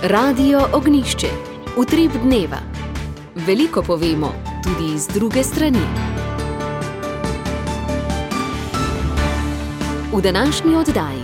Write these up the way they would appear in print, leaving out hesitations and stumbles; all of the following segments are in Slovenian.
Radio Ognišče, utrip dneva. Veliko povemo, tudi z druge strani. V današnji oddaji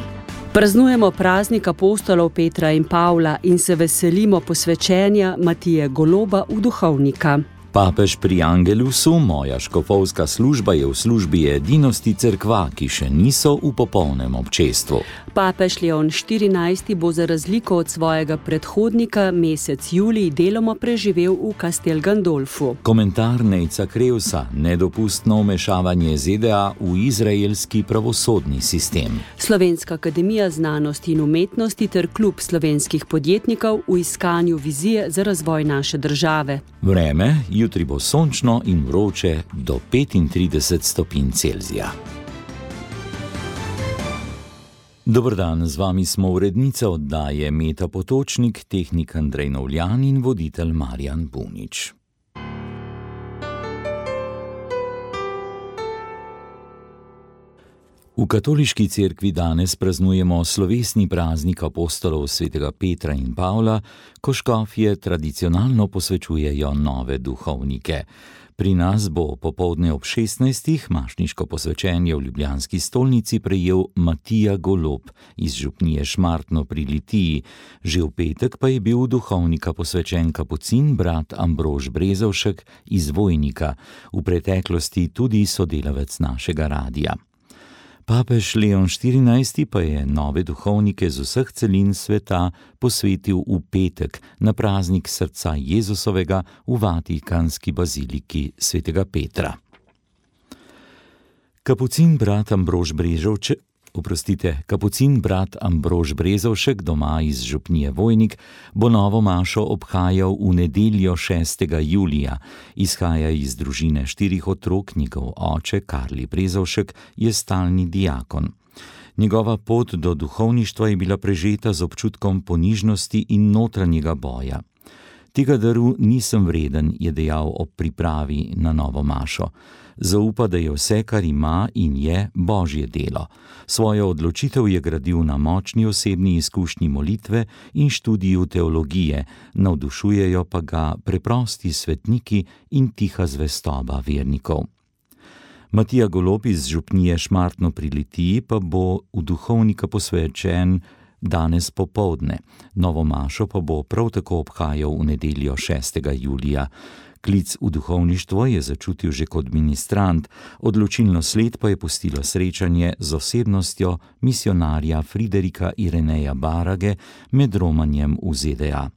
praznujemo praznik apostolov Petra in Pavla in se veselimo posvečenja Matije Goloba v duhovnika. Papež pri Angelusu, moja škofovska služba je v službi edinosti cerkva, ki še niso v popolnem občestvu. Papež Leon XIV bo za razliko od svojega predhodnika mesec julij deloma preživel v Castel Gandolfu. Komentar Nejca Krevsa, nedopustno vmešavanje ZDA v izraelski pravosodni sistem. Slovenska akademija znanosti in umetnosti ter klub slovenskih podjetnikov v iskanju vizije za razvoj naše države. Vreme, jutri bo sončno in vroče do 35 stopinj Celzija. Dober dan, z vami smo urednica oddaje Meta Potočnik, tehnik Andrej Novljan in voditelj Marjan Bunič. V katoliški cerkvi danes praznujemo slovesni praznik apostolov svetega Petra in Pavla, ko škofje tradicionalno posvečujejo nove duhovnike. Pri nas bo popoldne ob 16. mašniško posvečenje v ljubljanski stolnici prejel Matija Golob iz župnije Šmartno pri Litiji. Že v petek pa je bil v duhovnika posvečen kapucin brat Ambrož Brezovšek iz Vojnika, v preteklosti tudi sodelavec našega radia. Papež Leon XIV pa je nove duhovnike z vseh celin sveta posvetil v petek na praznik srca Jezusovega v Vatikanski baziliki svetega Petra. Kapucin brat Ambrož Brezovšek doma iz župnije Vojnik bo novo mašo obhajal v nedeljo 6. julija. Izhaja iz družine 4 otrok, njegov oče Karli Brezovšek je stalni diakon. Njegova pot do duhovništva je bila prežeta z občutkom ponižnosti in notranjega boja. Tega daru nisem vreden, je dejal ob pripravi na novo mašo. Zaupa, da je vse, kar ima in je, Božje delo. Svojo odločitev je gradil na močni osebni izkušnji molitve in študiju teologije, navdušujejo pa ga preprosti svetniki in tiha zvestoba vernikov. Matija Golob iz župnije Šmartno pri Litiji pa bo v duhovnika posvečen danes popoldne. Novo mašo pa bo prav tako obhajal v nedeljo 6. julija. Klic v duhovništvo je začutil že kot ministrant, odločilno sled pa je pustilo srečanje z osebnostjo misionarja Friderika Ireneja Barage med romanjem v ZDA.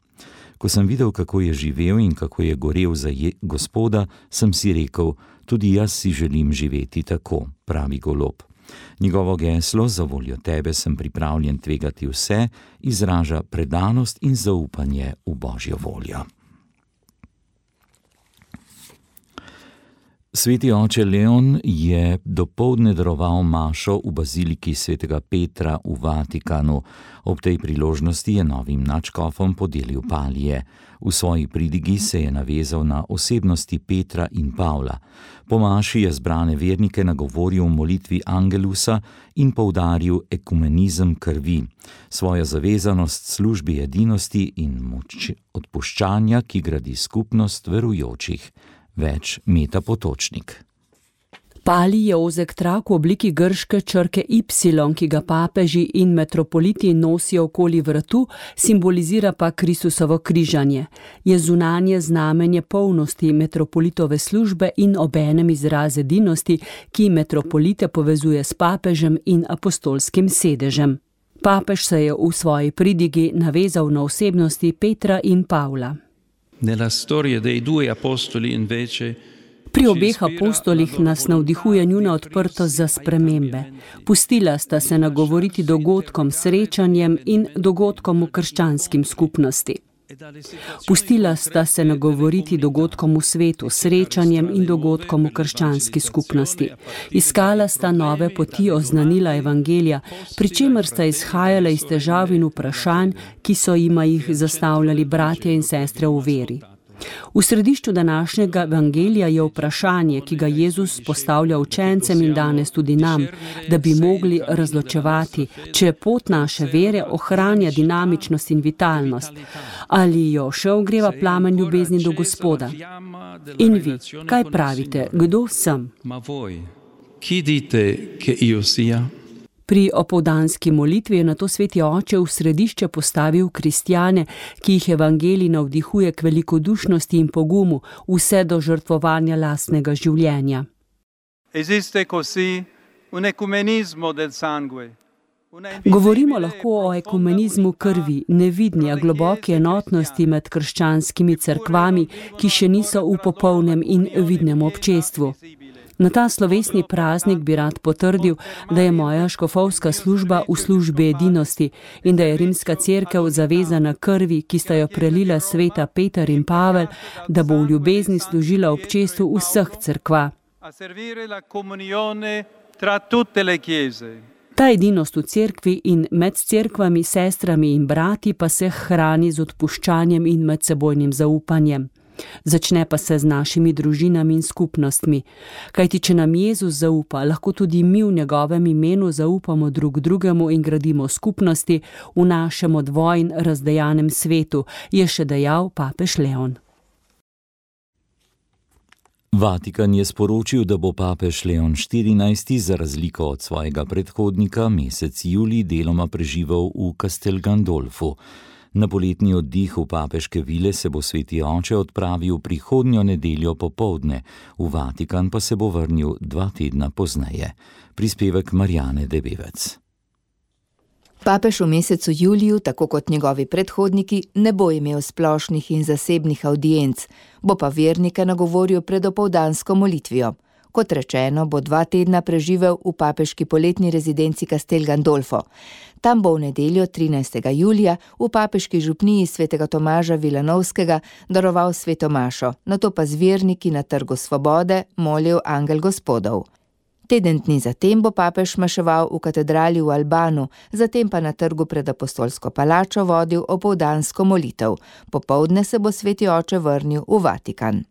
Ko sem videl, kako je živel in kako je gorel za Gospoda, sem si rekel, tudi jaz si želim živeti tako, pravi Golob. Njegovo geslo, za voljo tebe sem pripravljen tvegati vse, izraža predanost in zaupanje v Božjo voljo. Sveti oče Leon je dopoldne daroval mašo v baziliki svetega Petra v Vatikanu. Ob tej priložnosti je novim nadškofom podelil palije. V svoji pridigi se je navezal na osebnosti Petra in Pavla. Po maši je zbrane vernike nagovoril v molitvi Angelusa in poudaril ekumenizem krvi, svojo zavezanost službi edinosti in moč odpuščanja, ki gradi skupnost verujočih. Več Meta Potočnik. Pali je ozek trak v obliki grške črke Y, ki ga papeži in metropoliti nosijo okoli vratu, simbolizira pa Kristusovo križanje. Je zunanje znamenje polnosti metropolitove službe in obenem izraz edinosti, ki metropolite povezuje s papežem in apostolskim sedežem. Papež se je v svoji pridigi navezal na osebnosti Petra in Pavla. Pri obeh apostolih nas navdihuje njuna odprtost za spremembe. Pustila sta se nagovoriti dogodkom, srečanjem in dogodkom v krščanskim skupnosti. Pustila sta se nagovoriti dogodkom v svetu, srečanjem in dogodkom v krščanski skupnosti. Iskala sta nove poti oznanila evangelija, pri čemer sta izhajala iz težav in vprašanj, ki so jima jih zastavljali bratje in sestre v veri. V središču današnjega evangelija je vprašanje, ki ga Jezus postavlja učencem in danes tudi nam, da bi mogli razločevati, če pot naše vere ohranja dinamičnost in vitalnost, ali jo še ogreva plamen ljubezni do Gospoda. In vi, kaj pravite, kdo sem? Pri opoldanski molitvi je nato sveti oče v središče postavil kristjane, ki jih evangelij navdihuje k velikodušnosti in pogumu, vse do žrtvovanja lastnega življenja. Govorimo lahko o ekumenizmu krvi, nevidni, a globoki enotnosti med krščanskimi cerkvami, ki še niso v popolnem in vidnem občestvu. Na ta slovesni praznik bi rad potrdil, da je moja škofovska služba v službi edinosti in da je rimska cerkev zavezana krvi, ki sta jo prelila sveta Peter in Pavel, da bo v ljubezni služila občestvu vseh cerkva. Ta edinost v cerkvi in med cerkvami, sestrami in brati pa se hrani z odpuščanjem in medsebojnim zaupanjem. Začne pa se z našimi družinami in skupnostmi. Kajti, če nam Jezus zaupa, lahko tudi mi v njegovem imenu zaupamo drug drugemu in gradimo skupnosti v našem odvojn razdejanem svetu, je še dejal papež Leon. Vatikan je sporočil, da bo papež Leon 14. za razliko od svojega predhodnika mesec julij deloma preživel v Castel Gandolfu. Na poletni oddih v papeške vile se bo sveti oče odpravil prihodnjo nedeljo popoldne, v Vatikan pa se bo vrnil 2 tedna pozneje. Prispevek Marjane Debevec. Papež v mesecu juliju, tako kot njegovi predhodniki, ne bo imel splošnih in zasebnih avdienc, bo pa vernike nagovoril pred opoldansko molitvijo. Kot rečeno, bo 2 tedna preživel v papeški poletni rezidenci Castel Gandolfo. Tam bo v nedeljo 13. julija v papeški župniji svetega Tomaža Vilanovskega daroval sveto mašo, nato pa z verniki na Trgu svobode molil angel Gospodov. Teden dni zatem bo papež maševal v katedrali v Albanu, zatem pa na trgu pred apostolsko palačo vodil opoldansko molitev. Popoldne se bo sveti oče vrnil v Vatikan.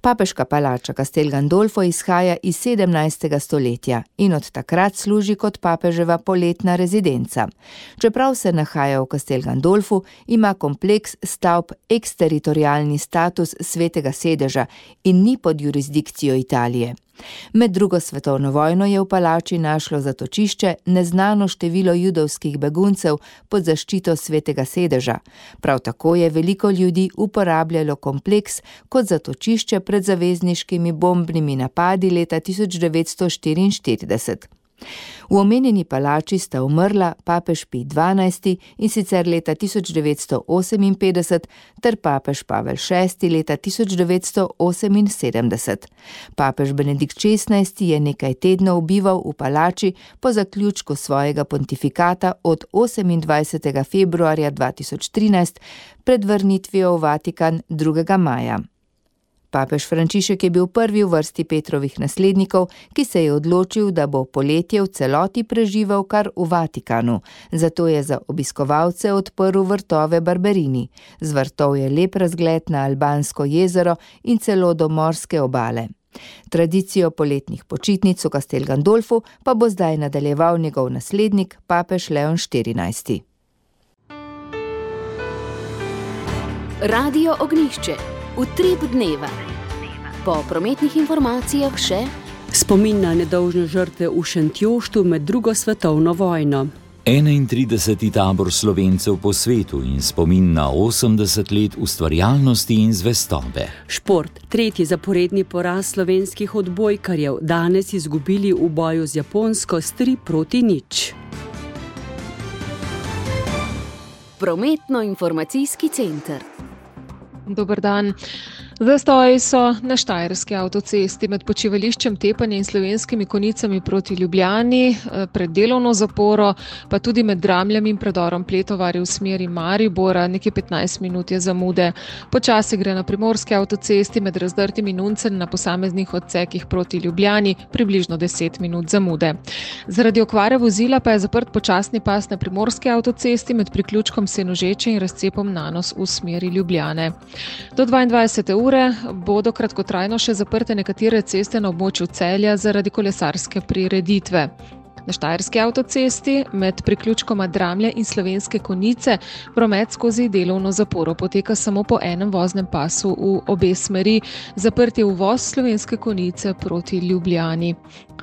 Papeška palača Castel Gandolfo izhaja iz 17. stoletja in od takrat služi kot papeževa poletna rezidenca. Čeprav se nahaja v Castel Gandolfu, ima kompleks stavb eksteritorialni status svetega sedeža in ni pod jurisdikcijo Italije. Med drugo svetovno vojno je v palači našlo zatočišče neznano število judovskih beguncev pod zaščito svetega sedeža. Prav tako je veliko ljudi uporabljalo kompleks kot zatočišče pred zavezniškimi bombnimi napadi leta 1944. V omenjeni palači sta umrla papež Pij XII in sicer leta 1958 ter papež Pavel VI leta 1978. Papež Benedikt XVI je nekaj tednov bival v palači po zaključku svojega pontifikata od 28. februarja 2013 pred vrnitvijo v Vatikan 2. maja. Papež Frančišek je bil prvi v vrsti Petrovih naslednikov, ki se je odločil, da bo poletje v celoti preživel kar v Vatikanu. Zato je za obiskovalce odprl vrtove Barberini. Z vrtov je lep razgled na Albansko jezero in celo do morske obale. Tradicijo poletnih počitnic v Castel Gandolfu pa bo zdaj nadaljeval njegov naslednik, papež Leon 14. Radio Ognjišče. Utrip dneva. Po prometnih informacijah še spomin na nedolžne žrtve v Šentjoštu med 2. svetovno vojno. 31. tabor Slovencev po svetu in spomin na 80 let ustvarjalnosti in zvestobe. Šport. 3. zaporedni poraz slovenskih odbojkarjev, danes izgubili v boju z Japonsko s 3-0. Prometno-informacijski center. Dober dan. Zastoji so na štajerski avtocesti med počivališčem Tepanje in Slovenskimi Konicami proti Ljubljani, pred delovno zaporo, pa tudi med Dramljami in predorom Pletovarje v smeri Maribora, nekje 15 minut je zamude. Počasi gre na primorski avtocesti med Razdrtim in Uncem na posameznih odsekih proti Ljubljani, približno 10 minut zamude. Zaradi okvare vozila pa je zaprt počasni pas na primorski avtocesti med priključkom Senožeče in razcepom Nanos v smeri Ljubljane. Do 22. ure bodo kratkotrajno še zaprte nekatere ceste na območju Celja zaradi kolesarske prireditve. Na štajerski avtocesti med priključkoma Dramlje in Slovenske Konjice promet skozi delovno zaporo poteka samo po enem voznem pasu v obe smeri, zaprt je uvoz Slovenske Konjice proti Ljubljani.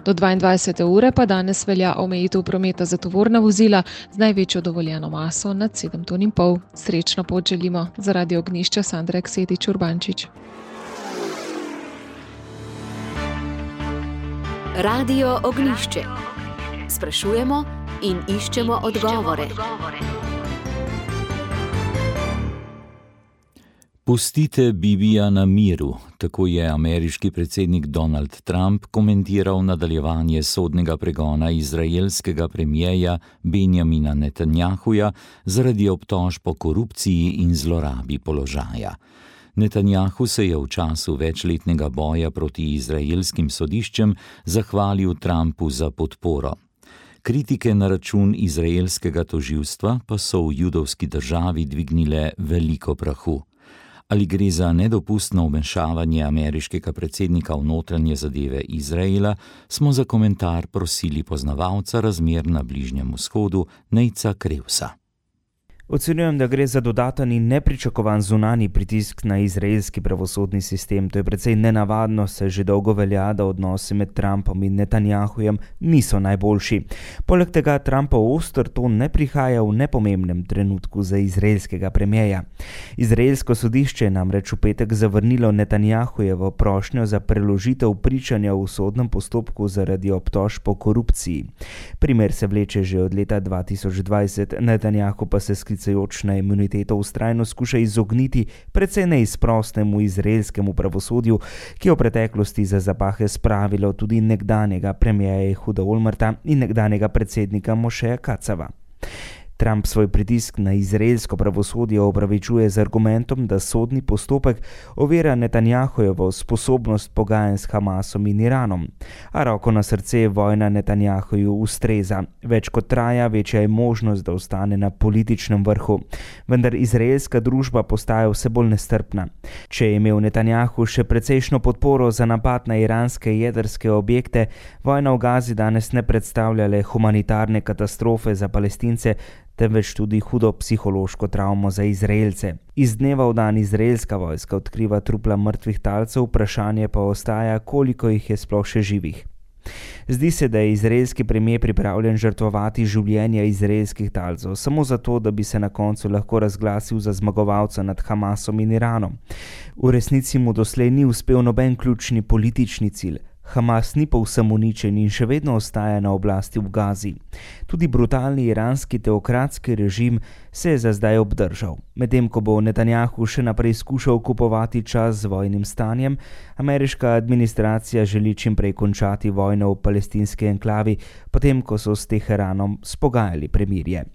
Do 22. ure pa danes velja omejitev prometa za tovorna vozila z največjo dovoljeno maso nad 7,5 ton. Srečno pot želimo. Za Radio Ognjišče Sandra Eksetič Urbančič. Radio Ognjišče. Sprašujemo in iščemo odgovore. Pustite Bibija na miru, tako je ameriški predsednik Donald Trump komentiral nadaljevanje sodnega pregona izraelskega premierja Benjamina Netanjahuja zaradi obtožb o korupciji in zlorabi položaja. Netanjahu se je v času večletnega boja proti izraelskim sodiščem zahvalil Trumpu za podporo. Kritike na račun izraelskega tožilstva pa so v judovski državi dvignile veliko prahu. Ali gre za nedopustno vmešavanje ameriškega predsednika v notranje zadeve Izraela, smo za komentar prosili poznavalca razmer na Bližnjem vzhodu Nejca Krevsa. Ocenjujem, da gre za dodaten in nepričakovan zunanji pritisk na izraelski pravosodni sistem. To je precej nenavadno, saj že dolgo velja, da odnosi med Trumpom in Netanjahujem niso najboljši. Poleg tega Trumpov oster ton ne prihaja v nepomembnem trenutku za izraelskega premierja. Izraelsko sodišče je namreč v petek zavrnilo Netanjahujevo prošnjo za preložitev pričanja v sodnem postopku zaradi obtožb o korupciji. Primer se vleče že od leta 2020, Netanjahu pa se na imuniteto vztrajno skuša izogniti precej neizprostnemu izraelskemu pravosodju, ki je v preteklosti za zapahe spravilo tudi nekdanjega premierja Ehuda Olmerta in nekdanjega predsednika Mošeja Kacava. Trump svoj pritisk na izraelsko pravosodje opravičuje z argumentom, da sodni postopek ovira Netanjahujevo sposobnost pogajanj s Hamasom in Iranom. A roko na srce vojna Netanjahuju ustreza. Več kot traja, večja je možnost, da ostane na političnem vrhu. Vendar izraelska družba postaja vse bolj nestrpna. Če je imel Netanjahu še precejšno podporo za napad na iranske jedrske objekte, vojna v Gazi danes ne predstavlja le humanitarne katastrofe za Palestince, temveč tudi hudo psihološko travmo za Izraelce. Iz dneva v dan izraelska vojska odkriva trupla mrtvih talcev, vprašanje pa ostaja, koliko jih je sploh še živih. Zdi se, da je izraelski premier pripravljen žrtvovati življenja izraelskih talcev, samo zato, da bi se na koncu lahko razglasil za zmagovalca nad Hamasom in Iranom. V resnici mu doslej ni uspel noben ključni politični cilj. Hamas ni povsem uničen in še vedno ostaja na oblasti v Gazi. Tudi brutalni iranski teokratski režim se je za zdaj obdržal. Medtem ko bo Netanjahu še naprej skušal kupovati čas z vojnim stanjem, ameriška administracija želi čim prej končati vojno v palestinski enklavi, potem ko so s Teheranom spogajali premirje.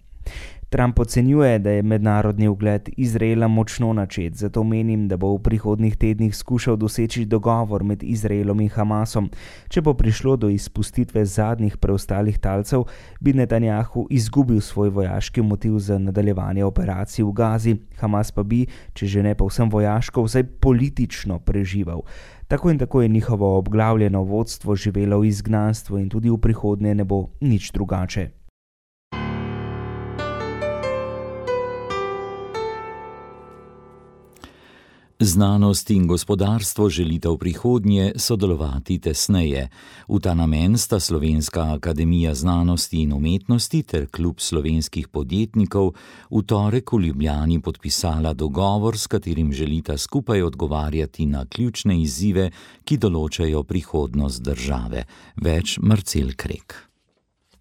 Trump ocenjuje, da je mednarodni ugled Izraela močno načet, zato menim, da bo v prihodnjih tednih skušal doseči dogovor med Izraelom in Hamasom. Če bo prišlo do izpustitve zadnjih preostalih talcev, bi Netanjahu izgubil svoj vojaški motiv za nadaljevanje operacij v Gazi, Hamas pa bi, če že ne povsem vojaško, vsaj politično preživel. Tako in tako je njihovo obglavljeno vodstvo živelo v izgnanstvu in tudi v prihodnje ne bo nič drugače. Znanost in gospodarstvo želita v prihodnje sodelovati tesneje. V ta namen sta Slovenska akademija znanosti in umetnosti ter Klub slovenskih podjetnikov v torek v Ljubljani podpisala dogovor, s katerim želita skupaj odgovarjati na ključne izzive, ki določajo prihodnost države. Več Marcel Krek.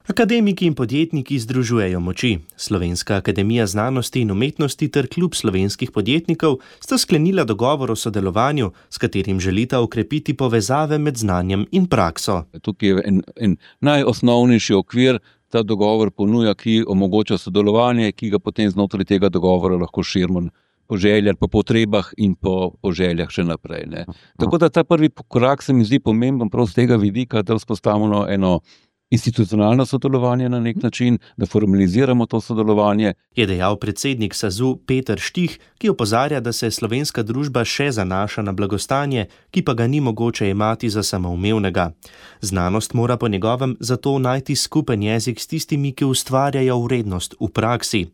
Akademiki in podjetniki združujejo moči. Slovenska akademija znanosti in umetnosti ter klub slovenskih podjetnikov sta sklenila dogovor o sodelovanju, s katerim želita okrepiti povezave med znanjem in prakso. Tukaj je en najosnovnejši okvir, ta dogovor ponuja, ki omogoča sodelovanje, ki ga potem znotraj tega dogovora lahko širimo po željah, po potrebah in po željah še naprej. Ne. Tako da ta prvi korak se mi zdi pomemben prav z tega vidika, da vzpostavimo eno institucionalno sodelovanje na nek način, da formaliziramo to sodelovanje. Je dejal predsednik SAZU Peter Štih, ki opozarja, da se slovenska družba še zanaša na blagostanje, ki pa ga ni mogoče jemati za samoumevnega. Znanost mora po njegovem zato najti skupen jezik s tistimi, ki ustvarjajo vrednost v praksi.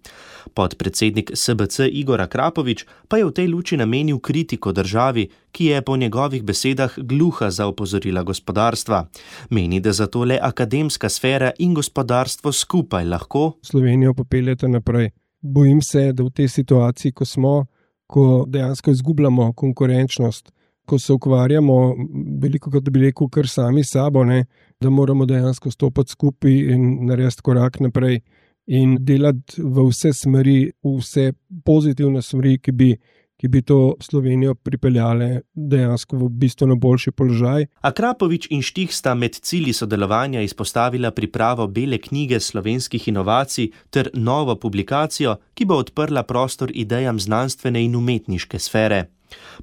Podpredsednik SBC Igor Akrapovič pa je v tej luči namenil kritiko državi, ki je po njegovih besedah gluha za opozorila gospodarstva. Meni, da zato le akademska sfera in gospodarstvo skupaj lahko Slovenijo popeljete naprej. Bojim se, da v tej situaciji, ko dejansko izgubljamo konkurenčnost, ko se ukvarjamo, veliko kot bi rekel, kar sami sabo, da moramo dejansko stopiti skupaj in narediti korak naprej in delati v vse smeri, v vse pozitivne smeri, ki bi to Slovenijo pripeljale dejansko v bistveno boljši položaj. Akrapovič in Štih sta med cilji sodelovanja izpostavila pripravo bele knjige slovenskih inovacij ter novo publikacijo, ki bo odprla prostor idejam znanstvene in umetniške sfere.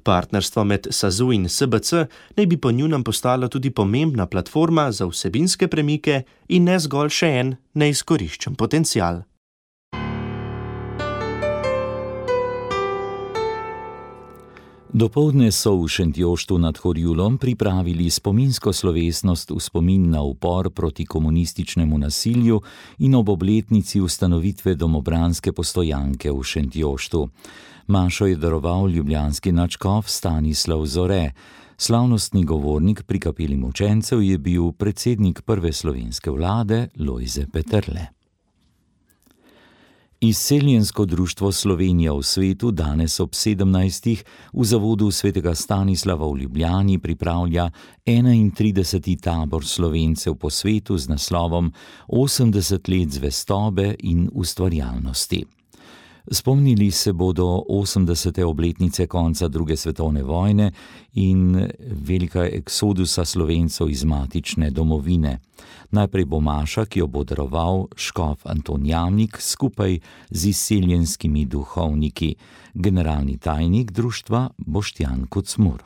Partnerstvo med SAZU in SBC naj bi po njunem postalo tudi pomembna platforma za vsebinske premike in ne zgolj še en neizkoriščen potencial. Dopoldne so v Šentjoštu nad Horjulom pripravili spominsko slovesnost v spomin na upor proti komunističnemu nasilju in ob obletnici ustanovitve domobranske postojanke v Šentjoštu. Mašo je daroval ljubljanski nadškof Stanislav Zore. Slavnostni govornik pri kapeli mučencev je bil predsednik prve slovenske vlade Lojze Peterle. Izseljensko društvo Slovenija v svetu danes ob 17. v zavodu svetega Stanislava v Ljubljani pripravlja 31. tabor Slovencev po svetu z naslovom 80 let zvestobe in ustvarjalnosti. Spomnili se bodo 80. obletnice konca druge svetovne vojne in velika eksodusa Slovencev iz matične domovine. Najprej bo maša, ki jo bo daroval škof Anton Jamnik skupaj z izseljenskimi duhovniki, generalni tajnik društva Boštjan Kocmur.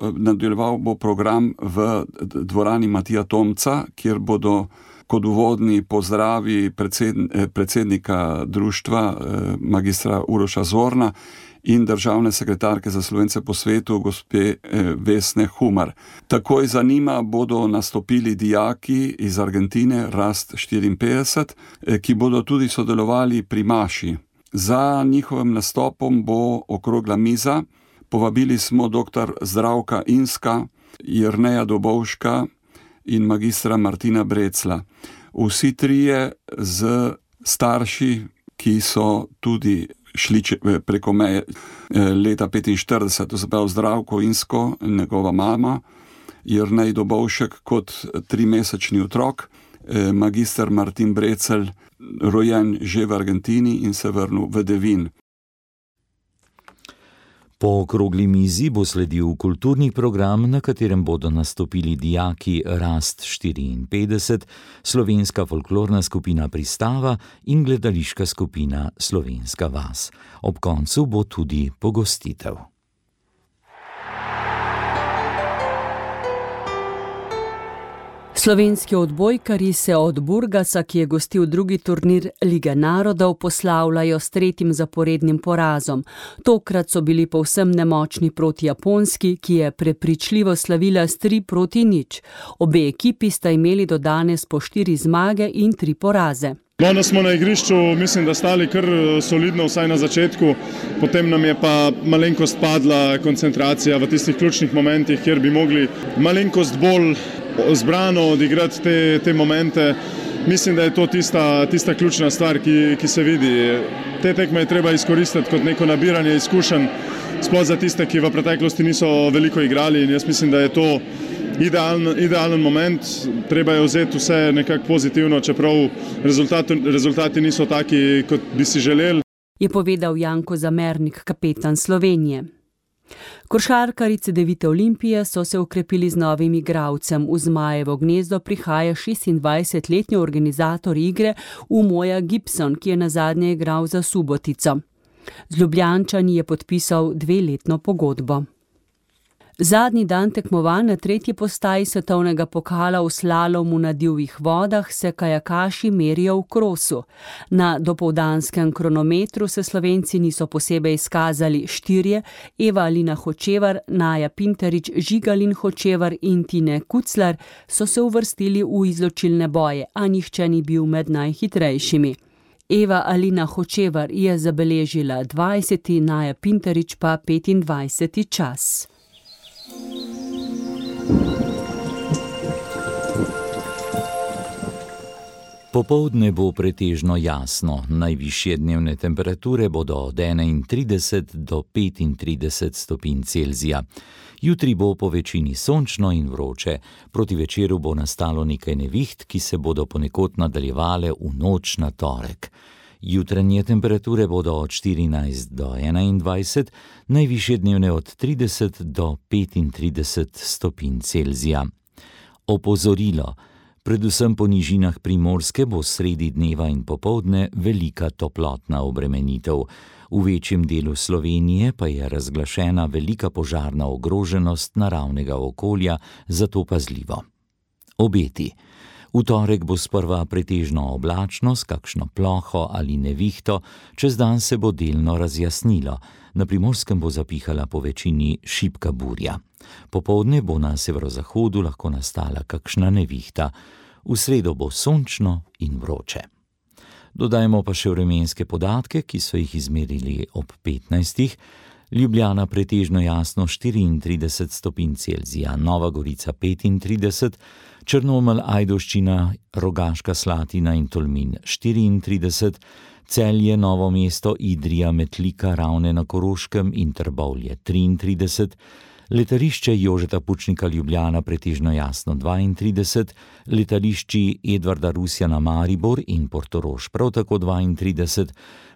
Nadaljeval bo program v dvorani Matija Tomca, kjer bodo kot uvodni pozdravi predsednika društva magistra Uroša Zorna in državne sekretarke za Slovence po svetu gospe Vesne Humar. Takoj za njima bodo nastopili dijaki iz Argentine, Rast 54, ki bodo tudi sodelovali pri maši. Za njihovim nastopom bo okrogla miza. Povabili smo dr. Zdravka Inska, Jerneja Dobovška in magistra Martina Brecla. Vsi trije z starši, ki so tudi šli preko meje leta 45, to se pravi Zdravko Insko, njegova mama, Jernej Dobovšek kot 3-mesečni otrok, magister Martin Brecel, rojen že v Argentini in se vrnil v Devin. Po okrogli mizi bo sledil kulturni program, na katerem bodo nastopili dijaki Rast 54, slovenska folklorna skupina Pristava in gledališka skupina Slovenska vas. Ob koncu bo tudi pogostitev. Slovenski odbojkarji se od Burgasa, ki je gostil drugi turnir Lige narodov, poslavljajo s 3. zaporednim porazom. Tokrat so bili povsem nemočni proti Japonski, ki je prepričljivo slavila s 3-0. Obe ekipi sta imeli do danes po 4 zmage in 3 poraze. Da smo na igrišču, mislim, da stali kar solidno, vsaj na začetku, potem nam je pa malenkost padla koncentracija v tistih ključnih momentih, kjer bi mogli malenkost bolj zbrano odigrati te momente. Mislim, da je to tista ključna stvar, ki se vidi. Te tekme je treba izkoristiti kot neko nabiranje izkušenj, sploh za tiste, ki v preteklosti niso veliko igrali, in jaz mislim, da je to idealen moment. Treba je vzeti vse nekako pozitivno, čeprav rezultati niso taki, kot bi si želeli. Je povedal Janko Zamernik, kapetan Slovenije. Košarkarji Cedevite Olimpije so se okrepili z novim igralcem. V Zmajevo gnezdo prihaja 26-letni organizator igre Umoja Gibson, ki je nazadnje igral za Subotico. Z Ljubljančani je podpisal 2-letno pogodbo. Zadnji dan tekmovanj na 3. postaji svetovnega pokala v slalomu na divjih vodah se kajakaši merijo v krosu. Na dopoldanskem kronometru se Slovenci niso posebej izkazali. 4, Eva Alina Hočevar, Naja Pinterič, Žigalin Hočevar in Tine Kuclar so se uvrstili v izločilne boje, a nihče ni bil med najhitrejšimi. Eva Alina Hočevar je zabeležila 20., Naja Pinterič pa 25. čas. Popoldne bo pretežno jasno, najvišje dnevne temperature bodo od 31 do 35 stopinj Celzija. Jutri bo po večini sončno in vroče, proti večeru bo nastalo nekaj neviht, ki se bodo ponekod nadaljevale v noč na torek. Jutranje temperature bodo od 14 do 21, najvišje dnevne od 30 do 35 stopinj Celzija. Opozorilo. Predvsem po nižinah Primorske bo sredi dneva in popoldne velika toplotna obremenitev. V večjem delu Slovenije pa je razglašena velika požarna ogroženost naravnega okolja, zato pazljivo. Obeti. V torek bo sprva pretežno oblačno s kakšno ploho ali nevihto, čez dan se bo delno razjasnilo. Na Primorskem bo zapihala po večini šibka burja. Popoldne bo na severozahodu lahko nastala kakšna nevihta. V sredo bo sončno in vroče. Dodajmo pa še vremenske podatke, ki so jih izmerili ob 15. Ljubljana pretežno jasno 34 stopinj Celzija, Nova Gorica 35, Črnomelj, Ajdovščina, Rogaška Slatina in Tolmin 34, Celje, Novo mesto, Idrija, Metlika, Ravne na Koroškem in Trbovlje 33, letališče Jožeta Pučnika Ljubljana pretežno jasno 32, letališči Edvarda Rusjana Maribor in Portorož prav tako 32,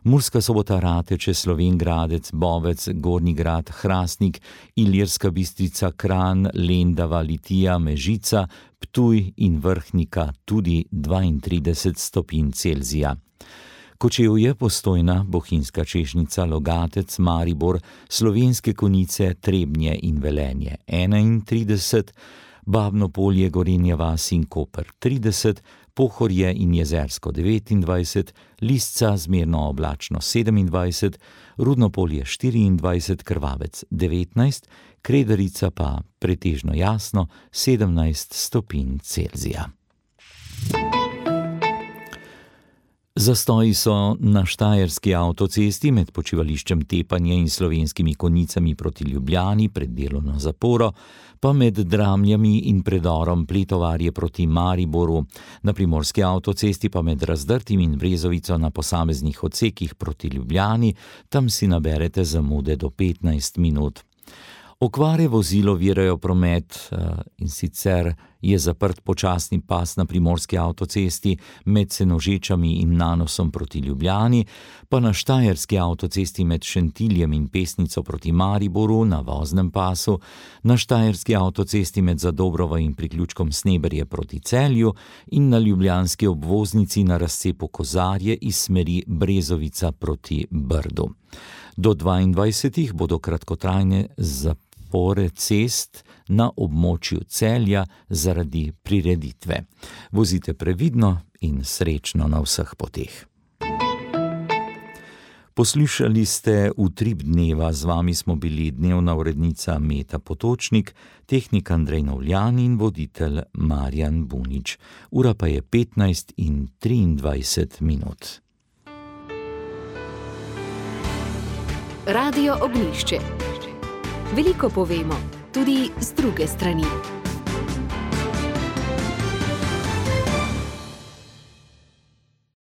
Murska Sobota, Rateče, Slovenj Gradec, Bovec, Gornji Grad, Hrastnik, Ilirska Bistrica, Kranj, Lendava, Litija, Mežica, Ptuj in Vrhnika tudi 32 stopinj Celzija. Kočevje, Postojna, Bohinjska Češnica, Logatec, Maribor, Slovenske Konjice, Trebnje in Velenje 31, Babno Polje, Gorenja vas in Koper 30, Pohorje in Jezersko 29, Lisca zmerno oblačno 27, Rudno Polje 24, Krvavec 19, Kredarica pa pretežno jasno 17 stopinj Celzija. Zastoji so na štajerski avtocesti med počivališčem Tepanje in Slovenskimi Konjicami proti Ljubljani pred delovno zaporo, pa med Dramljami in predorom Pletovarje proti Mariboru, na primorski avtocesti pa med Razdrtim in Brezovico na posameznih odsekih proti Ljubljani, tam si naberete zamude do 15 minut. Okvare vozil ovirajo promet, in sicer je zaprt počasni pas na primorski avtocesti med Senožečami in Nanosom proti Ljubljani, pa na štajerski avtocesti med Šentiljem in Pesnico proti Mariboru na voznem pasu, na štajerski avtocesti med Zadobrovo in priključkom Sneberje proti Celju in na ljubljanski obvoznici na razcepu Kozarje iz smeri Brezovica proti Brdu. Do 22 bodo kratkotrajne zapore cest na območju Celja zaradi prireditve. Vozite previdno in srečno na vseh poteh. Poslušali ste Utrip dneva, z vami smo bili dnevna urednica Meta Potočnik, tehnik Andrej Novljan in voditelj Marjan Bunič. Ura pa je 15:23 minut. Radio Ognjišče. Veliko povemo, tudi z druge strani.